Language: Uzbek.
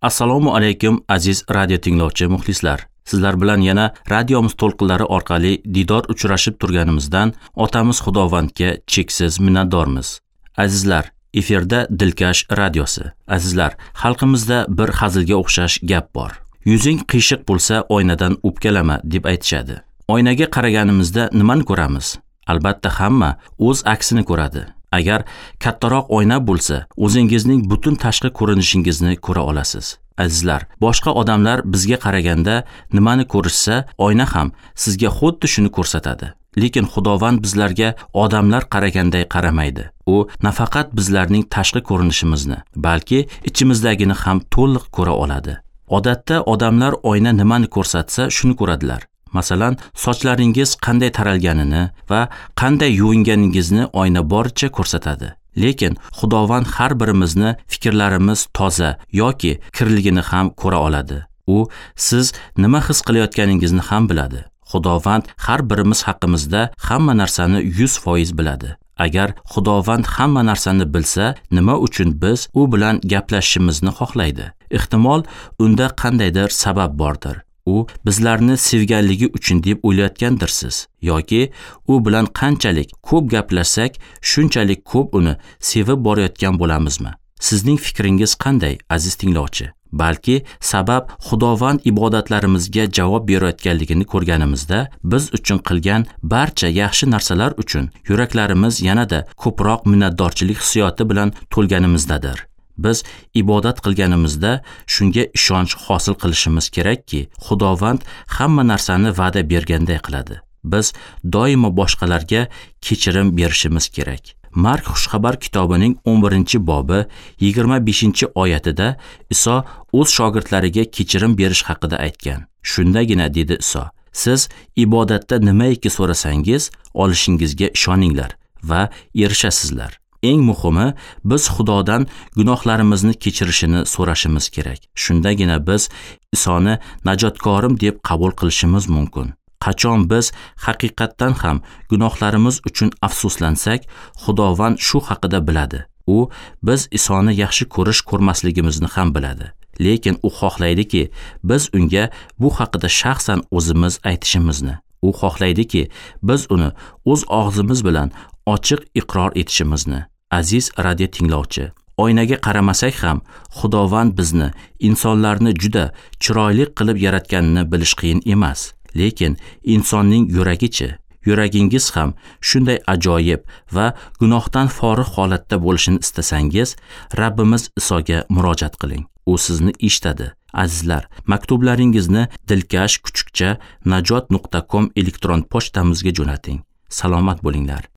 Assalomu alaykum aziz radio tinglovchi muxlislar. Sizlar bilan yana radiomiz to'lqinlari orqali didor uchrashib turganimizdan otamiz Xudovandga cheksiz minnatdormiz. Azizlar, efirda Dilkash radiosi. Azizlar, xalqimizda bir hazilga o'xshash gap bor. Yuzing qiyshiq bo'lsa, oynadan o'pkalama deb aytishadi. Oynaga qaraganimizda nimani ko'ramiz? Albatta hamma o'z aksini ko'radi. Agar kattaroq oyna bo'lsa, o'zingizning butun tashqi ko'rinishingizni ko'ra olasiz. Azizlar, boshqa odamlar bizga qaraganda nimani ko'rishsa, oyna ham sizga xuddi shuni ko'rsatadi. Lekin Xudovand bizlarga odamlar qaraganday qaramaydi. U nafaqat bizlarning tashqi ko'rinishimizni, balki ichimizdagini ham to'liq ko'ra oladi. Odatda odamlar oyna nimani ko'rsatsa, shuni ko'radilar. Masalan, sochlaringiz qanday taralganini va qanday yuvinganingizni oyna boricha ko'rsatadi. Lekin Xudovand har birimizni fikrlarimiz toza yoki kirligini ham ko'ra oladi. U siz nima his qilayotganingizni ham biladi. Xudovand har birimiz haqimizda hamma narsani 100% biladi. Agar Xudovand hamma narsani bilsa, nima uchun biz u bilan gaplashishimizni xohlaydi? Ehtimol unda qandaydir sabab bordir. U bizlarni sevganligi uchun deb o'ylayotgandirsiz yoki u bilan qanchalik ko'p gaplashsak, shunchalik ko'p uni sevib borayotgan bo'lamizmi? Sizning fikringiz qanday, aziz tinglovchi? Balki sabab Xudovand ibodatlarimizga javob berayotganligini ko'rganimizda, biz uchun qilgan barcha yaxshi narsalar uchun yuraklarimiz yanada ko'proq minnatdorchilik hissiyoti bilan to'lganimizdadir. Biz ibodat qilganimizda shunga ishonch hosil qilishimiz kerakki, Xudovand hamma narsani va'da berganday qiladi. Biz doimo boshqalarga kechirim berishimiz kerak. Mark Xushxabar kitobining 11-bobi 25-oyatida Iso o'z shogirdlariga kechirim berish haqida aytgan. Shundagina dedi Iso, siz ibodatda nimaiki so'rasangiz, olishingizga ishoninglar va erishasizlar. Eng muhimi, biz Xudodan gunohlarimizni kechirishini so'rashimiz kerak. Shundagina biz Isoni najotkorim deb qabul qilishimiz mumkin. Qachon biz haqiqatdan ham gunohlarimiz uchun afsuslansak, Xudovand shu haqida biladi. U biz Isoni yaxshi ko'rish ko'rmasligimizni ham biladi. Lekin u xohlaydiki, biz unga bu haqida shaxsan o'zimiz aytishimizni. U xohlaydiki, biz uni o'z og'zimiz bilan ochiq iqror etishimizni. Aziz radio tinglovchi, oynaga qaramasak ham Xudovand bizni, insonlarni juda chiroyli qilib yaratganini bilish qiyin emas. Lekin insonning yuragichi, yuragingiz ham shunday ajoyib va gunohdan forig' holatda bo'lishini istasangiz, Rabbimiz Isoga murojaat qiling. U sizni eshitadi. Azizlar, maktublaringizni dilkash@najot.com elektron pochtamizga jo'nating. Salomat bo'linglar.